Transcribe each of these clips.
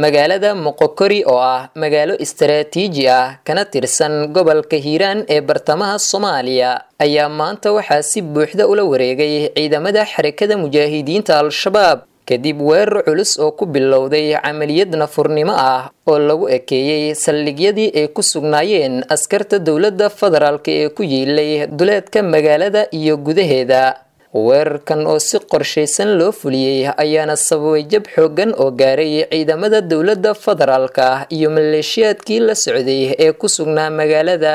Magaalada Moqokori oo ah magaalo istaraatiiji ah kana tirsan gobolka Hiiraan ee bartamaha Soomaaliya ayaa maanta waxaa si buuxda ula wareegay ciidamada Xarakada Mujaahidiinta Al-Shabaab, kadib weerar culus oo ku bilowday camaliyad nafurnimo ah oo lagu ekeeyey saldhigyadii ay ku sugnaayeen askarta dowladda federaalk ee ku yiilay duleedka magaalada iyo gudaheeda. Weerarkan oo si qorshaysan loo fuliyey ayaana sababay jab xooggan oo gaaray ciidamada dowladda federaalka iyo maleeshiyaadkii la socday ee ku sugnaa magaalada.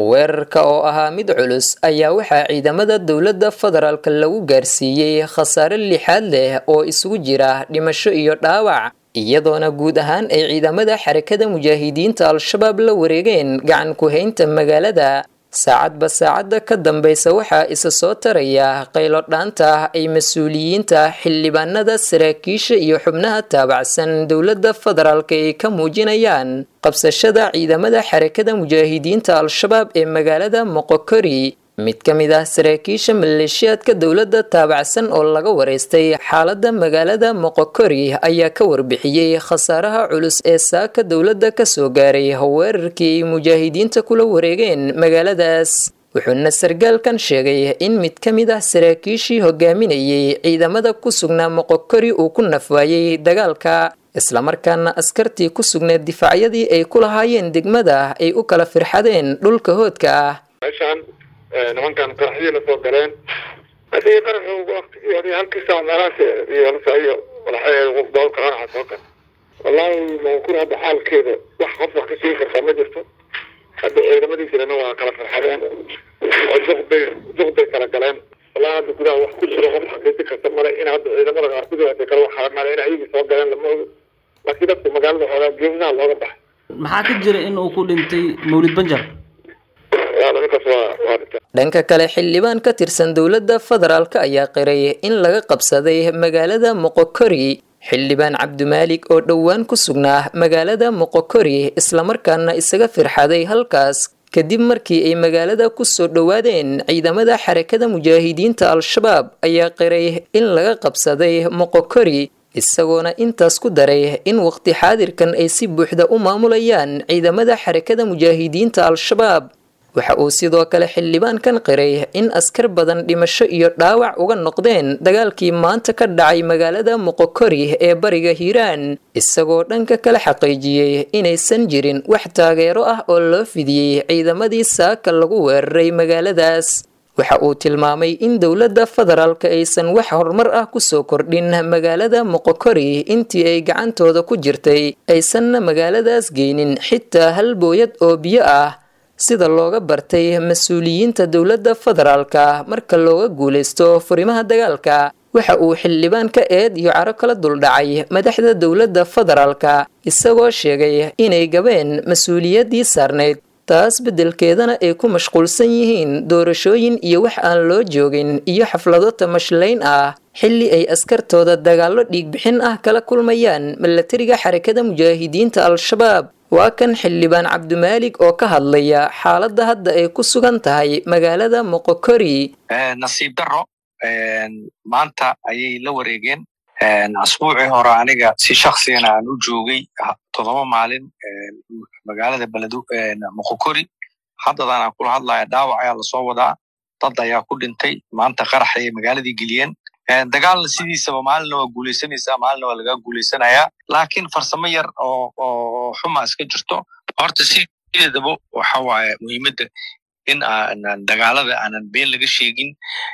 Weerarka oo ahaa mid culus ayaa waxaa ciidamada dowladda federaalka lagu gaarsiiyey khasaare lixaad leh oo isugu jira dhimasho iyo dhaawac, iyadoona guud ahaan ay ciidamada Xarakada Mujaahidiinta Al-Shabaab la wareegeen gacan ku-haynta magaalada. Saacadba saacadda ka dambaysa waxaa isa soo taraya qaylo dhaanta ay mas-uuliyiinta, xildhibaanada, saraakiisha iyo xubnaha taabacsan dowladda federaalk ay ka muujinayaan qabsashada ciidamada Xarakada Mujaahidiinta Al-Shabaab ee magaalada Moqokori. Mid ka mid ah saraakiisha maleeshiyaadka dowladda taabacsan oo laga wareystay xaaladda magaalada Moqokori ayaa ka warbixiyey khasaaraha culus ee saaka dowladda kasoo gaaray weerarkii ay mujaahidiinta kula wareegeen magaaladaas. Wuxuuna sargaalkan sheegay in mid ka mid ah saraakiishii hogaaminayay ciidamada ku sugnaa Moqokori uu ku nafwaayey dagaalka, islamarkaana askartii ku sugneed difaacyadii ay ku lahaayeen degmada ay u kala firxadeen dhulka hoodka ah. Nimankan qaraxyii la soo galeen, hadii qaraxu waqtigii halkii saac meelahaas iyo bawlka qaraxa soo gal. Wallaahi Moqokori hadda xaalkeeda wax qof wax ka sheegi kartaa ma jirto. Hadda ciidamadii jirana waa kala farxadeen oo duqbay kala galeen. Wallahi hadda gudaha wax ku jiro qof xaqiijin karta male, in hadda ciidamada qaar gudaha hadda kale waxaa male in ayagii soo galeen lama ogo, laakiin dadku magaalada xoogaa geesaha looga baxay. Maxaa ka jira in uu ku dhintay Mawlid Banjar? Dhanka kale, xildhibaan ka tirsan dowladda federaalk ayaa qiray in laga qabsaday magaalada Moqokori. Xildhibaan Cabdimaalik oo dhowaan ku sugnaa magaalada Moqokori islamarkaana isaga firxaday halkaas kadib markii ay magaalada ku soo dhowaadeen ciidamada Xarakada Mujaahidiinta Al-Shabaab ayaa qiray in laga qabsaday Moqokori, isagoona intaas ku daray in waqti xaadirkan ay si buuxda u maamulayaan ciidamada Xarakada Mujaahidiinta Al-Shabaab. Waxa uu sidoo kale xildhibaankan qiray in askar badan dhimasho iyo dhaawac uga noqdeen dagaalkii maanta ka dhacay magaalada Moqokori ee bariga Hiiraan, isagoo dhanka kale xaqiijiyey inaysan jirin wax taageero ah oo loo fidiyey ciidamadii saaka lagu weeraray magaaladaas. Waxa uu tilmaamay in dowladda federaalka aysan wax horumar ah kusoo kordhin magaalada Moqokori intii ay gacantooda ku jirtay, aysanna magaaladaas geynin xitaa hal booyad oo biyo ah, sida looga bartay mas-uuliyiinta dowladda federaalka marka looga guuleysto furimaha dagaalka. Waxa uu xildhibaanka eed iyo caro kala duldhacay madaxda dowladda federaalka, isagoo sheegay inay gabeen mas-uuliyaddii saarnayd, taas beddelkeedana ay ku mashquulsan yihiin doorashooyin iyo wax aan loo joogin iyo xaflado tamashlayn ah, xilli ay askartooda dagaallo dhiigbixin ah kala kulmayaan milatariga Xarakada Mujaahidiinta Al-Shabaab. Waa kan xildhibaan Cabdimaalik oo ka hadlaya xaaladda hadda ay ku sugan tahay magaalada Moqokori. Nasiib darro, maanta ayay la wareegeen. Asbuucii hore aniga si shaksigana aan u joogay 7 maalin magaalada beledu Moqokori. Haddadan aan kula hadlaya dhaawac ayaa lasoo wadaa, dad ayaa ku dhintay. Maanta qarax ayay magaaladii geliyeen. Dagaalna sidiisaba maalinna waa guuleysanaysaa, maalinna waa lagaa guuleysanayaa, laakiin farsamo yar oo xuma iska jirto. Horta sideedaba waxa waaye muhiimadda in aanan dagaalada aanan been laga sheegin.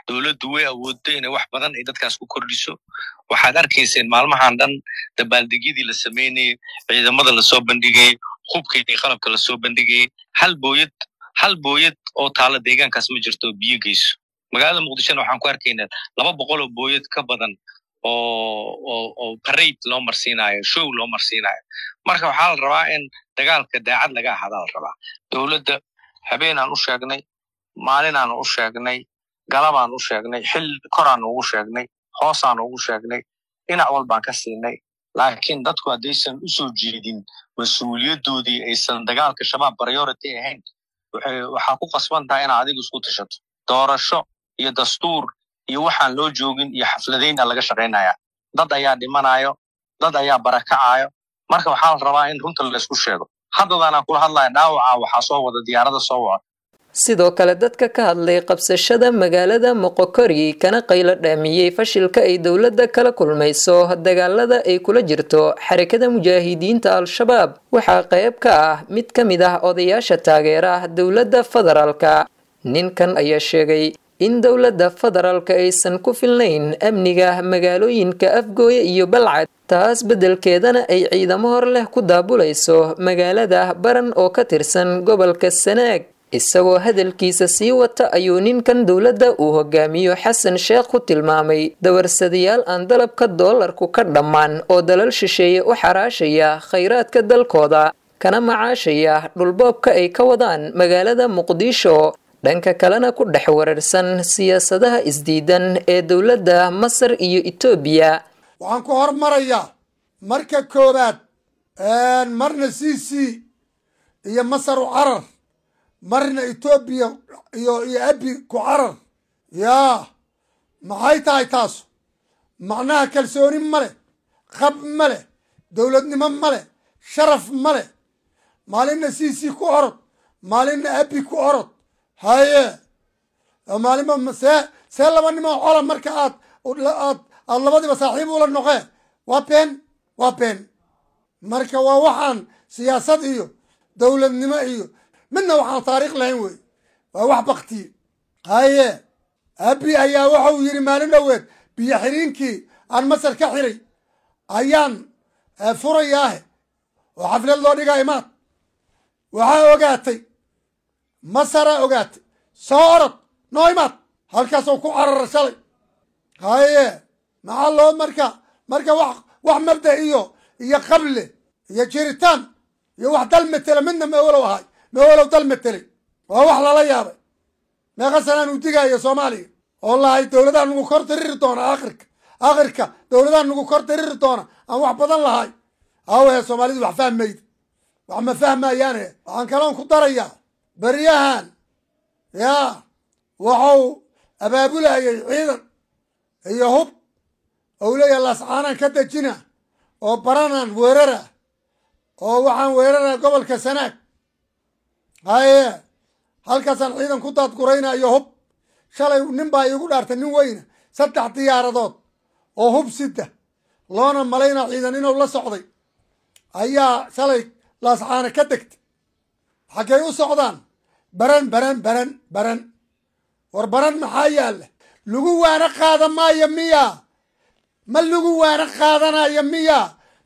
Dowladdu way awooddo inay wax badan ay dadkaas ku kordhiso. Waxaad arkayseen maalmahan dhan dabaaldegyadii la sameynayay, ciidamada lasoo bandhigayay, hubka iyo qalabka lasoo bandhigayay. Hal booyad, hal booyad oo taala deegaankaas ma jirto oo biyo geyso. Magaalada Muqdishona waxaan ku arkaynaa 200 oo booyad ka badan oo parade loo marsiinayo, show loo marsiinayo. Marka waxaa la rabaa in dagaalka daacad laga ahaadaa la rabaa. Dowladda habeenaan u sheegnay, maalinaan u sheegnay, galabaan u sheegnay, xil koraan ugu sheegnay, hoosaan ugu sheegnay, dhinac walbaan ka siinay, laakiin dadku haddaysan usoo jeedin mas-uuliyadoodii, aysan dagaalka Shabaab priority ahayn, waxaa ku qasban tahay inaad adigu isku tashato. Doorasho iyo dastuur iyo waxaan loo joogin iyo xafladayna laga shaqaynaya. Dad ayaa dhimanayo, dad ayaa barakacayo. Marka waxaa la rabaa in runta laysku sheego. Haddadaan aan kula hadlaya dhaawaca waxaa soo wada diyaarada soo wada. Sidoo kale dadka ka hadlay qabsashada magaalada Moqokori kana qaylo dhaamiyey fashilka ay dowladda kala kulmayso dagaalada ay kula jirto Xarakada Mujaahidiinta Al-Shabaab waxaa qayb ka ah mid ka mid ah odayaasha taageera dowladda federaalka. Ninkan ayaa sheegay in dowladda federaalka aysan ku filnayn amniga magaalooyinka Afgooye iyo Balcad, taas beddelkeedana ay ciidamo hor leh ku daabulayso magaalada Baran oo ka tirsan gobolka Sanaag. Isagoo hadalkiisa sii wata ayuu ninkan dowladda uu hogaamiyo Xasan Sheekh ku tilmaamay dawarsadayaal aan dalabka doolarku ka dhammaan oo dalal shisheeye u xaraashaya khayraadka dalkooda, kana macaashaya dhulboobka ay ka wadaan magaalada Muqdisho, dhanka kalena ku dhex wararsan siyaasadaha isdiidan ee dowladda Masar iyo Itoobiya. Waxaan ku hormarayaa marka koowaad, marna c c iyo Masar u carar, marna Etoobiya iyo Abi ku carar. Yaa maxay tahay taasu? Macnaha kalsooni ma leh, qab ma leh, dowladnimo ma leh, sharaf ma leh. Maalinna c c ku orod, maalinna Abi ku orod. Haye, maalinba see laba nimoo cola marka aad labadiiba saaxiib ula noqee? Waa been, waa been. Marka waa waxaan siyaasad iyo dowladnimo iyo midna waxaan taariikh lahayn wey, waa wax baktiye. Haye, Abi ayaa wuxuu yidhi maalin dhoweed biyo xiriinkii aan Masar ka xiray ayaan furayaahe oo xaflad loo dhigaa imaad. Waxaa ogaatay Masaraa ogaatay, soo orod noo imaad, halkaasoo ku carara shalay. Haye, maxaa loo marka wax mabda iyo qable iyo jiritaan iyo wax dal metela midna mewalow ahay, mewalow dal metelay. Waa wax lala yaabay. Meeqa sanaan uu digaayo Soomaaliya oo lahay dowladaha nagu kor diriri doona, aakhirka dowladaha nagu kor diriri doona, aan wax badan lahay. Awahe, Soomaalidu wax fahmayda, wax ma fahmayaane. Waxaan kaloon ku darayaa, beryahan yaa wuxuu abaabulayay ciidan iyo hub ou leeyahay Laascaanaan ka dejina oo Baranaan weerara oo waxaan weerara gobolka Sanaag. Haye, halkaasaan ciidan ku daadguraynayo hub. Shalay nin baa iigu dhaartay, nin weyna, 3 diyaaradood oo hub sida loona malayna ciidan inuu la socday ayaa shalay Laascaana ka degtay. Xaggay u socdaan? Baran, Baran, Baran, Baran. War Baran maxaa yaalla? Lagu waana qaada maayo miya? Ma lagu waana qaadanayo miya?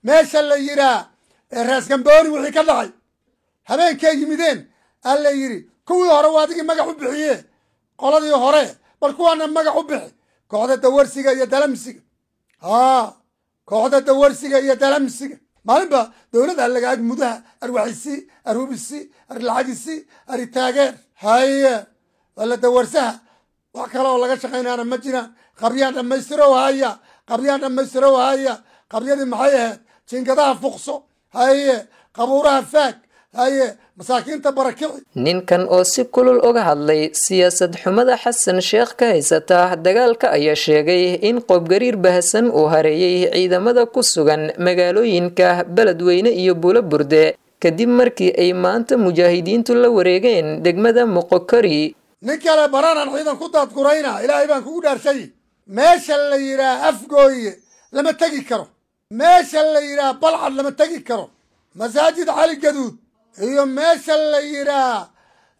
Meesha la yidhaa ee Raasgambooni wixii ka dhacay habeenkay yimideen aa la yidhi kuwii hore waa adigii magac u bixiye qoladii hore, bal kuwaana magac u bixi, kooxda dawarsiga iyo dalamsiga. Haa, kooxda dawarsiga iyo dalamsiga. Maalinba dowladda laga ag mudaha arwaxisi, arhubisi, arlacagisi, aritaageer. Haye, waa la dawarsaha, wax kale oo laga shaqaynaana ma jiraan. Qabyaan dhammaystirow haya, qabyaan dhammaystirow haya. Qabyadii maxay ahayd? Jiingadaha fuqso, haye, qabuuraha faag, haye, masaakiinta barakici. Ninkan oo si kulul uga hadlay siyaasad xumada Xasan Sheekh ka haysata dagaalka ayaa sheegay in qoobgariir baahsan uu hareeyay ciidamada ku sugan magaalooyinka Beledweyne iyo Buulo Burde kadib markii ay maanta mujaahidiintu la wareegeen degmada Moqokori. Nin kale Baranaan ciidan ku daadgurayna. Ilaahay baan kugu dhaarshay, meesha la yidhaah Afgooye lama tegi karo, meesha la yidhaah Balcad lama tegi karo, Masaajid Cali Gaduud iyo meesha la yidhaah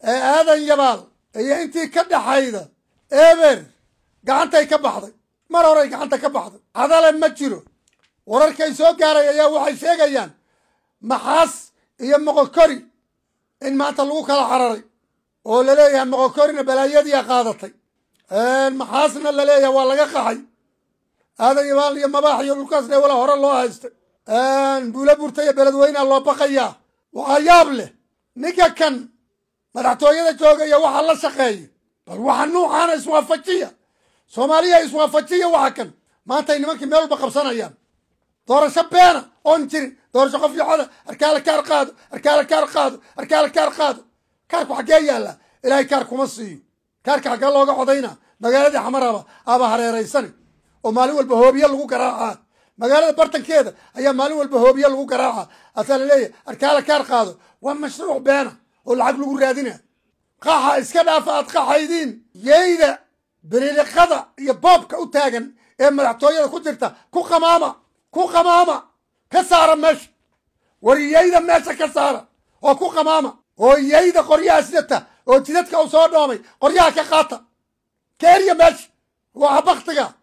Aadan Yabaal iyo intii ka dhaxayda eber gacantay ka baxday, mar horay gacanta ka baxday. Cadale ma jiro. Wararkay soo gaaray ayaa waxay sheegayaan Maxaas iyo Moqokori in maanta lagu kala cararay oo laleeyahay Moqokorina balaayadiia qaadatay, Maxaasna laleeyahay waa laga qaxay. Aadan Yabaal iyo Mabaax iyo dhulkaasna wala hore loo haystay. Buula Burta iyo Beledweynea loo baqayaa. Waxaa yaab leh ninka kan madaxtooyada jooga iyo waxa la shaqeeya. Bal waxa nuucaana iswaafajiya, Soomaaliya iswaafajiya. Waxa kan maantay nimankii meel walba qabsanayaan, doorasho beena oon jirin, doorasho qof yocoda, arkaala kaar qaado, arkaala kaar qaado, arkaala kaar qaado. Kaarku xaggee yaallaa? Ilaahay kaar kuma siiyo. Kaarka xaggee looga codayna? Magaaladii Xamaraba aba hareeraysani oo maalin walba hoobiye lagu garaacaa. Magaalada bartankeeda ayaa maalin walba hoobiya lagu garaaca, asaa laleeyahay arkaala kaar qaado. Waa mashruuc beena oo lacag lagu raadina. Qaxa iska dhaafa aad qaxaydiin. Yeyda bililiqada iyo boobka u taagan ee madaxtooyada ku jirta ku qamaama, ku qamaama, ka saara meesha. War yeyda meesha ka saara oo ku qamaama, oo yeyda qoryaha sidata oo jidadka u soo dhoomay qoryaha ka qaata, ka erya meesha. Waa baktiga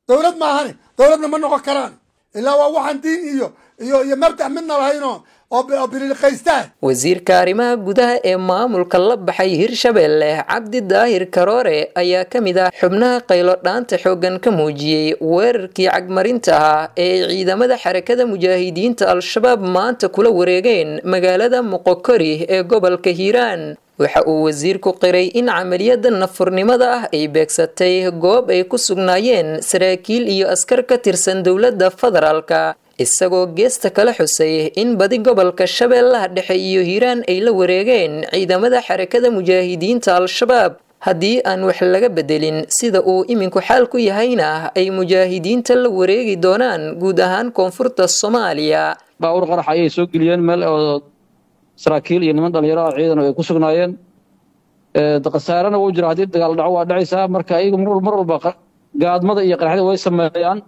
dowlad maahane, dowladna ma noqon karaan ilaa waa waxaan diin iyo iyo iyo mabdac midna lahaynoo oo bililiqaystaa. Wasiirka arrimaha gudaha ee maamulka la baxay Hirshabelle, Cabdi Daahir Karoore, ayaa ka mid ah xubnaha qaylo dhaanta xooggan ka muujiyey weerarkii cagmarinta ah ee ay ciidamada Xarakada Mujaahidiinta Al-Shabaab maanta kula wareegeen magaalada Moqokori ee gobolka Hiiraan. Waxa uu wasiirku qiray in camaliyada nafurnimada ah ay beegsatay goob ay ku sugnaayeen saraakiil iyo askar ka tirsan dowladda federaalka, isagoo geesta kala xusay in badi gobolka Shabeellaha Dhexe iyo Hiiraan ay la wareegeen ciidamada Xarakada Mujaahidiinta Al-Shabaab, haddii aan wax laga bedelin sida uu iminku xaal ku yahayna ay mujaahidiinta la wareegi doonaan guud ahaan koonfurta Soomaaliya. Baabuur qarax ayay soo geliyeen meel oo saraakiil iyo niman dhalinyaro ah ciidan ay ku sugnaayeen. Khasaarena wuu jira, haddii dagaal dhaco waa dhacaysaa. Marka iyagu mar walba gaadmada iyo qaraxda way sameeyaan.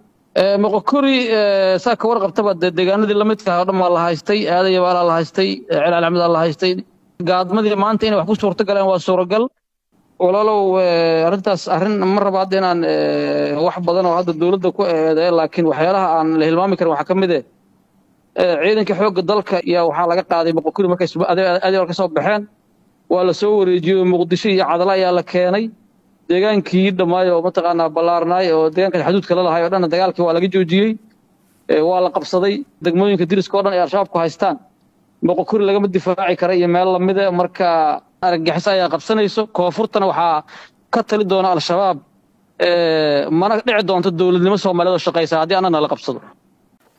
Moqokori saa ka warqabtaba dee deegaanadii lamidka ah oo dhan waa la haystay, Aadaya Baalaa la haystay, Celaal Axmed la haystay. Gaadmadii maanta inay wax ku suurto galeen waa suuragal. Walaalow, arrintaas arrin ma raba hadda inaan wax badan oo hadda dowladda ku eedeeyo, laakiin waxyaalaha aan la hilmaami karin waxaa ka mid eh ciidanka xoogga dalka ayaa waxaa laga qaaday Moqokori markay Adeer ka soo baxeen, waa la soo wareejiyey, Muqdisho iyo Cadala ayaa la keenay. Deegaankii dhammaay oo mataqaanaa ballaarnaay oo deegaanka xaduudka la lahay oo dhan dagaalkii waa laga joojiyey, waa la qabsaday. Degmooyinka diriska oo dhan ay Al-Shabaabku haystaan Moqokori lagama difaaci kara iyo meel lamida. Marka argagixiso ayaa qabsanayso koonfurtana, waxaa ka tali doona Al-Shabaab, mana dhici doonto dowladnimo Soomaaliyeed oo shaqaysa haddii annana la qabsado.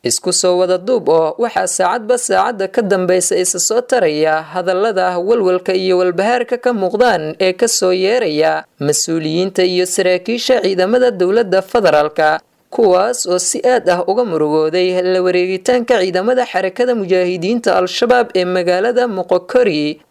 Isku soo wada duub oo waxaa saacadba saacadda ka dambaysa isa soo taraya hadallada walwalka iyo walbahaarka ka muuqdaan ee kasoo yeeraya mas-uuliyiinta iyo saraakiisha ciidamada dowladda federaalka, kuwaas oo si aad ah uga murugooday la wareegitaanka ciidamada Xarakada Mujaahidiinta Al-Shabaab ee magaalada Moqokori.